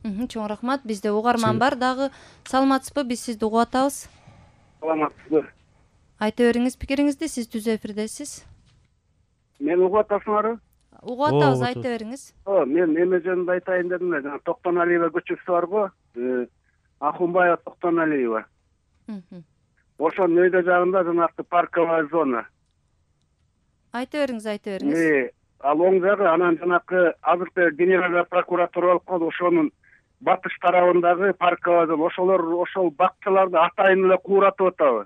Чоң рахмат. Бизде угарман бар дагы. Саламатсызбы? Биз сизди угуп атабыз. Саламатсызбы? Айта бериңиз пикириңизди, сиз түз эфирдесиз. Мен угуп атасыңарбы? Угуп атабыз, айта бериңиз. Мен эме жөнүндө айтайын дедим эле. Токтоналиева көчөсү барбы? Ахунбаева Токтоналиева. Ошонун өйдө жагында жанагы парковая зона. Айта бериңиз. Ал оң жагы, анан жанагы азыркы генеральный прокуратура болуп калды, ошонун батыш тарабындагы парковая зона. Ошол бакчаларды атайын эле кууратып атабы.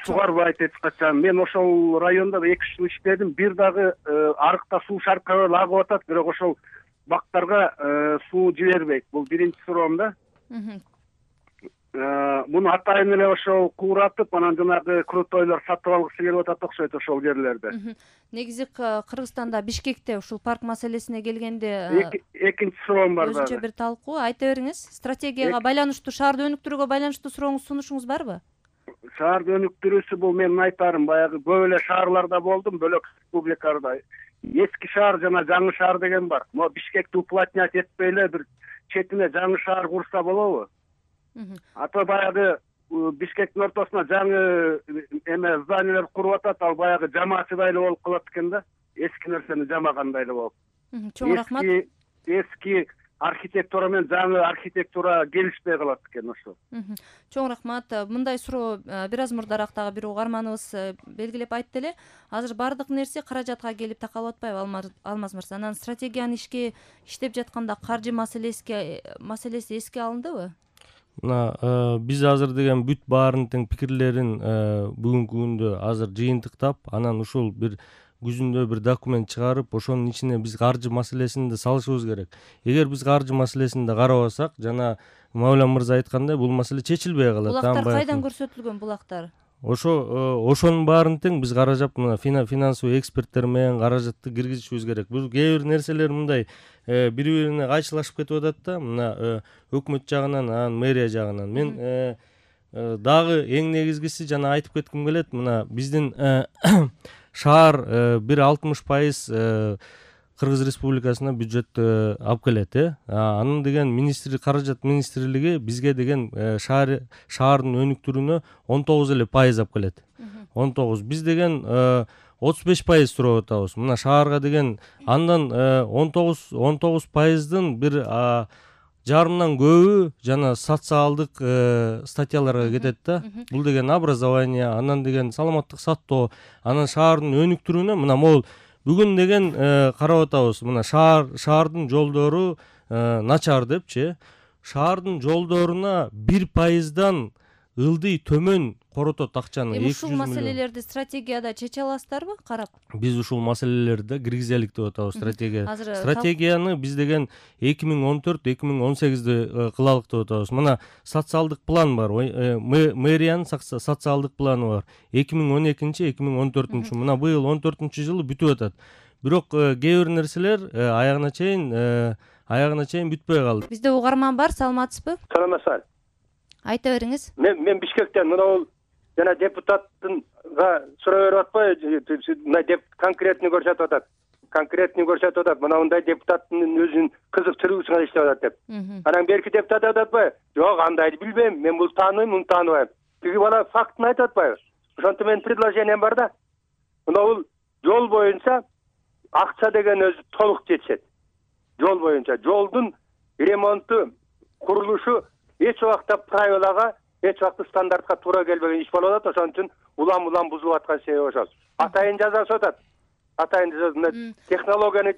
Сугарбайт эч качан. Мен ошол райондо 2 жыл иштедим. Бир дагы арыкта суу шаркырап агып атат, бирок ошол бактарга суу жибербейт. Бул биринчи суроом да. Муну атайын эле ошол кууратып, анан жанагы крутойлор сатып алгысы келип атат окшойт ошол жерлерде. Негизи Кыргызстанда Бишкекте ушул парк маселесине келгенде экинчи суроом бар. Өзүнчө бир талкуу. Айта бериңиз. Стратегияга байланыштуу, шаарды өнүктүрүүгө байланыштуу сурооңуз, сунушуңуз барбы? Шаарды өнүктүрүүсү бул менин айтарым. Баягы көп эле шаарларда болдум, бөлөк республикаларда. Эски шаар жана жаңы шаар деген бар. Могу Бишкекти уплотнять этпей эле бир четине жаңы шаар курса болобу? Ата баягы Бишкектин ортосуна жаңы эме зданиялар куруп атат, ал баягы жамаачыдай эле болуп калат экен да. Эски нерсени жамагандай эле болуп. Чоң рахмат. Эски архитектура менен жаңы архитектура келишпей калат экен ошо. Чоң рахмат. Мындай суроо бир аз мурдараак дагы бир угарманыбыз белгилеп айтты эле. Азыр бардык нерсе каражатка келип такалып атпайбы, Алмаз мырза? Анан стратегияны иштеп жатканда каржы маселеси эске алындыбы? Биз азыр деген бүт баарын тең пикирлерин бүгүнкү күндө азыр жыйынтыктап, анан ушул бир күзүндө бир документ чыгарып, ошонун ичине биз каржы маселесин да салышыбыз керек. Эгер биз каржы маселесин да карабасак, жана Мавлан мырза айткандай, бул маселе чечилбей калат. Булактар кайдан көрсөтүлгөн булактар? Ошонун баарын тең биз каражап, финансовый эксперттер менен каражатты киргизишибиз керек. Бул кээ бир нерселер мындай бири-бирине кайшылашып кетип атат да, мына өкмөт жагынан, анан мэрия жагынан. Мен дагы эң негизгиси жана айтып кетким келет, мына биздин шаар бир 60% Кыргыз Республикасына бюджет алып келет. Анын деген каражат министрлиги бизге деген шаардын өнүктүрүүнү 19% алып келет. 19. Биз деген 35% сурап атабыз. Мына шаарга деген андан 19%дын бир жарымдан көбү жана социалдык статьяларга кетет да. Бул деген образование, анан деген саламаттык сактоо, анан шаардын өнүктүрүүнө мына могул бүгүн деген карап атабыз. Мына шаардын жолдору начар депчи. Шаардын жолдоруна 1%дан ылдый төмөн коротот акчаны. Ушул маселелерди стратегияда чече аласыздарбы карап? Биз ушул маселелерди киргизелик деп атабыз стратегияга. Стратегияны биз деген 2014-2018де кылалык деп атабыз. Мына социалдык план бар. Мэриянын социалдык планы бар. 2012-2014. Мына быйыл 14-жылы бүтүп атат. Бирок кээ бир нерселер аягына чейин бүтпөй калды. Бизде угарман бар, саламатсызбы? Саламатсызбы? Айта бериңиз. Мен Бишкектен мына жана депутаттынга суроо берип атпайбы? Мына конкретный көрсөтүп атат. Мына мындай депутаттын өзүнүн кызыктыруусуна иштеп атат деп. Анан берки депутат айтып атпайбы? Жок, андайды билбейм. Мен бул тааныйм, муну тааныбайм. Тиги бала фактын айтып атпайбы? Ошонтип менин предложением бар да. Мына бул жол боюнча акча деген өзү толук жетишет. Жол боюнча жолдун ремонту, курулушу эч убакта правилага, эч убакта стандартка туура келбеген иш болуп атат. Ошон үчүн улам бузулуп аткан себеби ошол. Атайын жазасып атат. Технологияны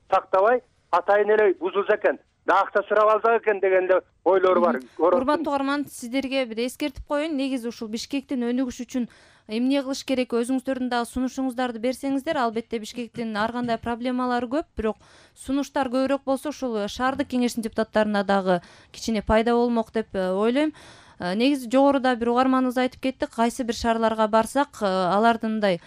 сактабай, атайын эле бузулса экен, да акча сурап алсак экен деген эле ойлор бар. Урматтуу угарман, сиздерге бир эскертип коеюн. Негизи ушул Бишкектин өнүгүшү үчүн эмне кылыш керек, өзүңүздөрдүн дагы сунушуңуздарды берсеңиздер. Албетте Бишкектин ар кандай проблемалары көп, бирок сунуштар көбүрөөк болсо ушул шаардык кеңештин депутаттарына дагы кичине пайда болмок деп ойлойм. Негизи жогоруда бир угарманыбыз айтып кетти, кайсы бир шаарларга барсак, алардын мындай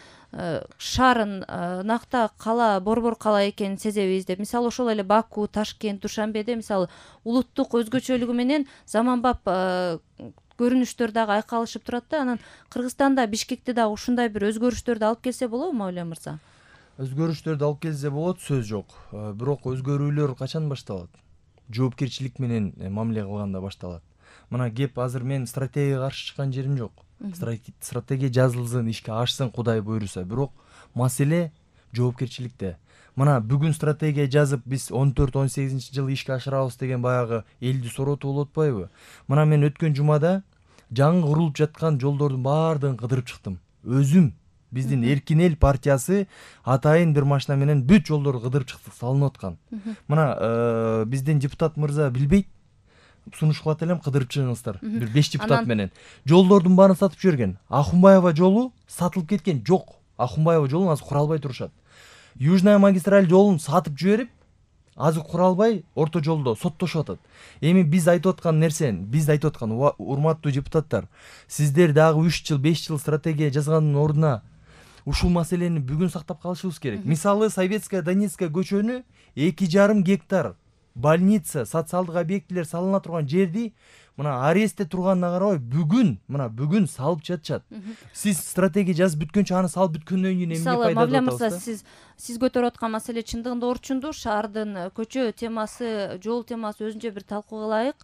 шаарын накта кала, борбор кала экенин сезебиз деп. Мисалы ошол эле Баку, Ташкент, Душанбеде мисалы улуттук өзгөчөлүгү менен заманбап көрүнүштөр дагы айкалышып турат да. Анан Кыргызстанда Бишкекте дагы ушундай бир өзгөрүштөрдү алып келсе болобу, Мавлен мырза? Өзгөрүштөрдү алып келсе болот, сөз жок. Бирок өзгөрүүлөр качан башталат? Жоопкерчилик менен мамиле кылганда башталат. Мына кеп азыр мен стратегияга каршы чыккан жерим жок. Стратегия жазылсын, ишке ашсын, Кудай буйруса. Бирок маселе жоопкерчиликте. Мына бүгүн стратегия жазып, биз 14-18-жылы ишке ашырабыз деген баягы элди соротуп болуп атпайбы? Мына мен өткөн жумада жаңы курулуп жаткан жолдордун баардыгын кыдырып чыктым. Өзүм биздин Эркин эл партиясы атайын бир машина менен бүт жолдорду кыдырып чыктык, салынып аткан. Мына биздин депутат мырза билбейт, сунуш кылат элем, кыдырып чыгыңыздар. Бир 5 депутат менен. Жолдордун баарын сатып жиберген. Ахунбаева жолу сатылып кеткен жок. Ахунбаева жолун азыр кура албай турушат. Южная магистраль жолун сатып жиберип, азыр кура албай орто жолдо соттошуп атат. Эми биз айтып аткан нерсен, урматтуу депутаттар, сиздер дагы 3 жыл, 5 жыл стратегия жазгандын ордуна ушул маселени бүгүн сактап калышыбыз керек. Мисалы, Советская Донецкая көчөнү 2,5 гектар больница, социалдык объектилер салына турган жерди мына арестте турганына карабай бүгүн салып жатышат. Сиз стратегия жазып бүткөнчө аны салып бүткөндөн кийин эмне пайда болот? Мавля мырза, сиз көтөрүп аткан маселе чындыгында орчундуу. Шаардын көчө темасы, жол темасы өзүнчө бир талкууга ылайык.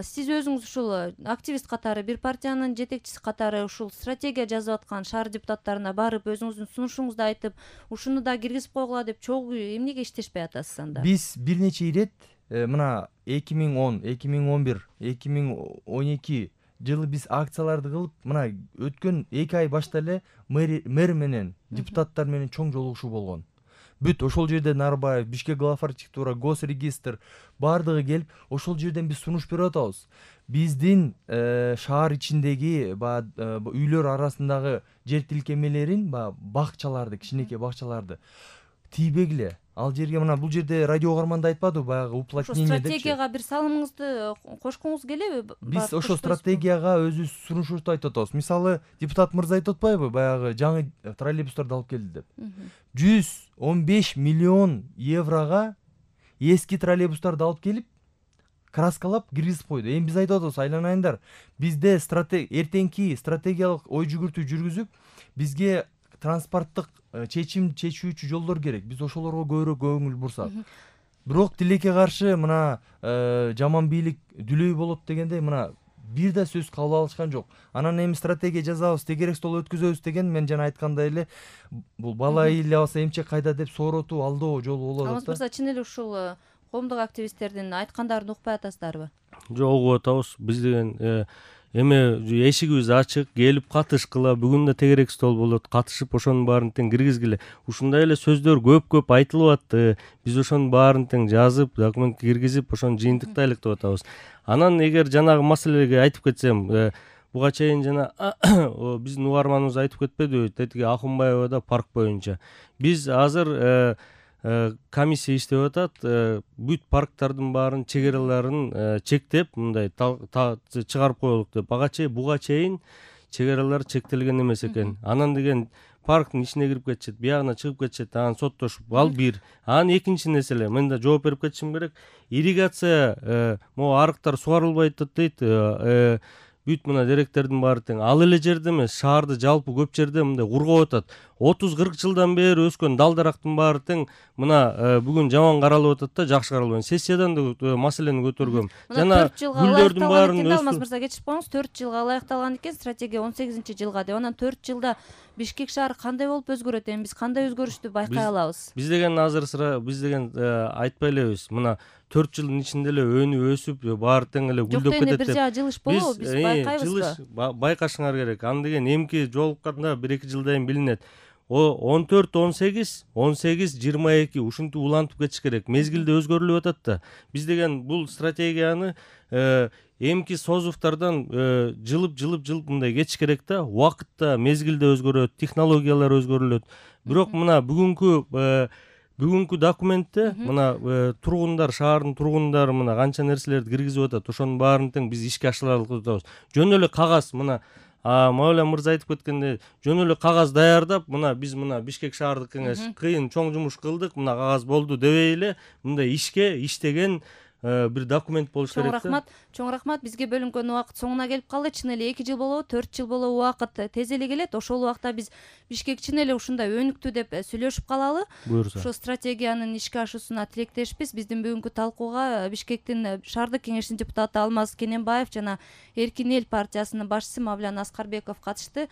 Сиз өзүңүз ушул активист катары, бир партиянын жетекчиси катары ушул стратегия жазып аткан шаар депутаттарына барып, өзүңүздүн сунушуңузду айтып, ушуну да киргизип койгула деп чогуу эмнеге иштешпей атасыз анда? Биз бир нече ирет мына 2010, 2011, 2012 жылы биз акцияларды кылып, мына өткөн 2 ай башта эле мэр менен депутаттар менен чоң жолугушуу болгон. Бүт ошол жерден Нарбаев, Бишкек глав архитектура, госрегистр баардыгы келип, ошол жерден биз сунуш берип атабыз. Биздин шаар ичиндеги үйлөр арасындагы жер тилкемелерин, бакчаларды, кичинекей бакчаларды тийбегиле. Ал жерге мына бул жерде радио угарманда айтпадыбы, баягы уплотнение депчи. Стратегияга бир салымыңызды кошкуңуз келеби? Биз ошол стратегияга өзүбүз сунушубузду айтып атабыз. Мисалы, депутат мырза айтып атпайбы, баягы жаңы троллейбустарды алып келди деп. 115 миллион еврога эски троллейбустарды алып келип, краскалап киргизип койду. Эми биз айтып атабыз, айланайындар, бизде эртеңки стратегиялык ой жүгүртүү жүргүзүп, бизге транспорттук чечим чечүүчү жолдор керек. Биз ошолорго көбүрөөк көңүл бурсак. Бирок тилекке каршы мына жаман бийлик дүлөй болот дегенде мына бир да сөз кабыл алышкан жок. Анан эми стратегия жазабыз, тегерек стол өткөзөбүз деген мен жана айткандай эле бул бала ыйлабаса эмчек кайда деп сооротуу, алдоо жолу болот. Алмаз мырза, чын эле ушул коомдук активисттердин айткандарын укпай атасыздарбы? Жок, угуп атабыз. Биз деген эме эшигибиз ачык, келип катышкыла. Бүгүн да тегерек стол болот, катышып ошонун баарын тең киргизгиле. Ушундай эле сөздөр көп айтылып атты. Биз ошонун баарын тең жазып, документке киргизип, ошону жыйынтыктайлык деп атабыз. Анан эгер жанагы маселеге айтып кетсем, буга чейин жана биздин угарманыбыз айтып кетпедиби, тетиги Ахунбаевада парк боюнча. Биз азыр комиссия иштеп атат, бүт парктардын баарын чегераларын чектеп, мындай чыгарып коелук деп. Буга чейин чегералар чектелген эмес экен. Анан деген парктын ичине кирип кетишет, биягына чыгып кетишет, анан соттошуп. Ал бир. Анан экинчи нерселе, мен да жооп берип кетишим керек. Ирригация, могу арыктар сугарылбайт дейт. Бүт мына деректердин баары тең. Ал эле жерде эмес, шаарды жалпы көп жерде мындай кургап атат. 30-40 жылдан бери өскөн дал-дарактын баары тең мына бүгүн жаман каралып атат да, жакшы каралбайт. Сессиядан да маселени көтөргөм. Жана гүлдөрдүн баарын Алмаз мырза, кечирип коюңуз, 4 жылга ылайыкталган экен стратегия 18-жылга деп. Анан 4 жылда Бишкек шаары кандай болуп өзгөрөт? Эми биз кандай өзгөрүштү байкай алабыз? Биз деген азыр биз деген айтпай элебиз. Мына 4 жылдын ичинде эле өнүп өсүп, баары тең эле гүлдөп кетет деп. Бир жаа жылыш болобу? Биз байкайбызбы? Байкашыңар керек. Аны деген эмки жолукканда 1-2 жылдан билинет. 14-18, 18-22 ушинтип улантып кетиш керек. Мезгилде өзгөрүлүп атат да. Биз деген бул стратегияны эмки созуфтардан жылып мындай кетиш керек да. Убакытта, мезгилде өзгөрөт, технологиялар өзгөрүлөт. Бирок мына бүгүнкү документте мына тургундар, шаардын тургундары мына канча нерселерди киргизип атат. Ошонун баарын тең биз ишке ашыралык деп атабыз. Жөн эле кагаз мына Мавля мырза айтып кеткендей, жөн эле кагаз даярдап, мына биз мына Бишкек шаардык кеңеш кыйын чоң жумуш кылдык, мына кагаз болду дебей эле, мындай иштеген бир документ болуш керек да. Чоң рахмат. Бизге бөлүнгөн убакыт соңуна келип калды. Чын эле 2 жыл болобу, 4 жыл болобу убакыт тез эле келет. Ошол убакта биз Бишкек чын эле ушундай өнүктү деп сүйлөшүп калалы. Буюрса. Ошо стратегиянын ишке ашуусуна тилектешпиз. Биздин бүгүнкү талкууга Бишкектин шаардык кеңешинин депутаты Алмаз Кененбаев жана Эркин эл партиясынын башчысы Мавлян Аскарбеков катышты.